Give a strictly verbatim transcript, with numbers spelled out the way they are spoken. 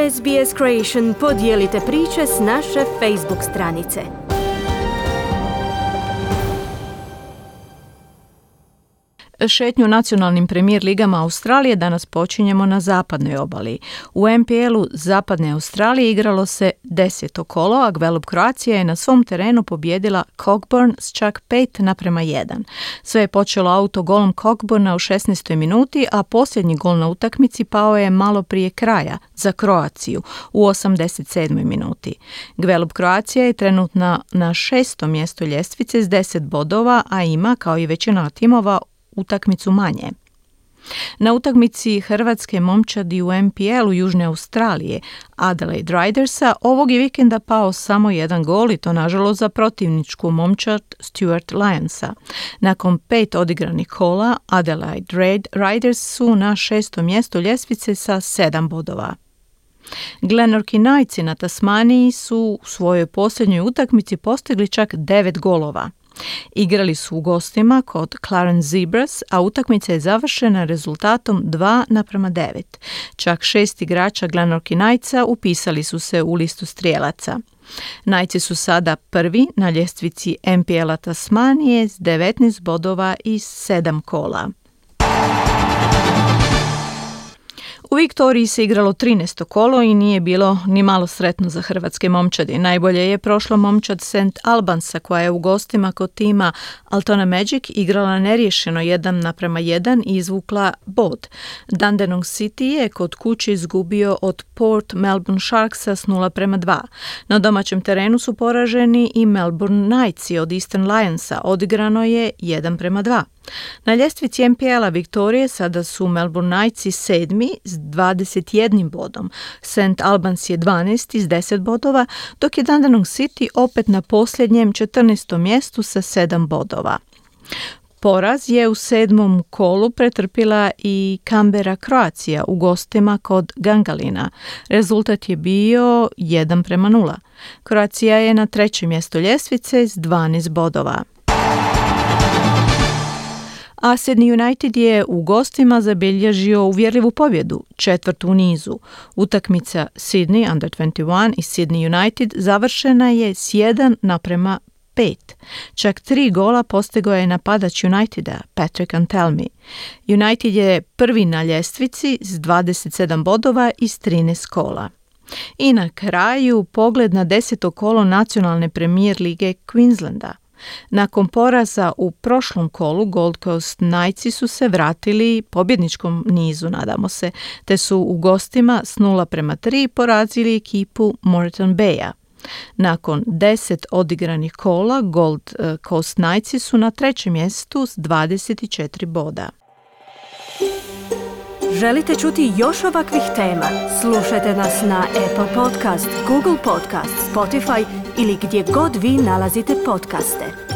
S B S Creation podijelite priče s naše Facebook stranice. Šetnju nacionalnim premijer ligama Australije danas počinjemo na zapadnoj obali. U N P L-u zapadne Australije igralo se deseto kolo, a Gwelup Croatia je na svom terenu pobjedila Cockburn s čak pet naprema jedan. Sve je počelo autogolom Cockburna u šesnaestoj minuti, a posljednji gol na utakmici pao je malo prije kraja za Kroaciju u osamdeset sedmoj minuti. Gwelup Croatia je trenutno na šestom mjestu ljestvice s deset bodova, a ima, kao i većina timova, utakmicu manje. Na utakmici hrvatske momčadi u N P L-u Južne Australije, Adelaide Ridersa, ovog je vikenda pao samo jedan gol i to nažalost za protivničku momčad Stuart Lionsa. Nakon pet odigranih kola, Adelaide Riders su na šestom mjestu ljestvice sa sedam bodova. Glenorchy Knightsi na Tasmaniji su u svojoj posljednjoj utakmici postigli čak devet golova. Igrali su u gostima kod Clarence Zebras, a utakmica je završena rezultatom dva naprema devet. Čak šest igrača Glenorchy Knightsa upisali su se u listu strijelaca. Knightsi su sada prvi na ljestvici N P L-a Tasmanije s devetnaest bodova i sedam kola. U Viktoriji se igralo trinaesto kolo i nije bilo ni malo sretno za hrvatske momčadi. Najbolje je prošla momčad Saint Albansa, koja je u gostima kod tima Altona Magic igrala neriješeno jedan naprema jedan i izvukla bod. Dandenong City je kod kuće izgubio od Port Melbourne Sharksa s nula prema dva. Na domaćem terenu su poraženi i Melbourne Knightsi od Eastern Lionsa. Odigrano je jedan prema dva. Na ljestvici N P L-a Viktorije sada su Melbourne Knightsi sedmi s dvadeset jednim bodom. Saint Albans je dvanaesti s deset bodova, dok je Dandenong City opet na posljednjem četrnaestom mjestu sa sedam bodova. Poraz je u sedmom kolu pretrpila i Canberra Croatia u gostima kod Gangalina. Rezultat je bio jedan prema nula. Croatia je na trećem mjestu ljestvice s dvanaest bodova. A Sydney United je u gostima zabilježio uvjerljivu pobjedu, četvrtu u nizu. Utakmica Sydney Under dvadeset jedan i Sydney United završena je s jedan naprema pet. Čak tri gola postigao je napadač Uniteda, Patrick Antelmi. United je prvi na ljestvici s dvadeset sedam bodova i trinaest kola. I na kraju pogled na deseto kolo nacionalne premijer lige Queenslanda. Nakon poraza u prošlom kolu Gold Coast Knightsi su se vratili pobjedničkom nizu, nadamo se, te su u gostima s nula prema tri porazili ekipu Moreton Baya. Nakon deset odigranih kola Gold Coast Knightsi su na trećem mjestu s dvadeset četiri boda. Želite čuti još ovakvih tema? Slušajte nas na Apple Podcast, Google Podcast, Spotify ili gdje god vi nalazite podcaste.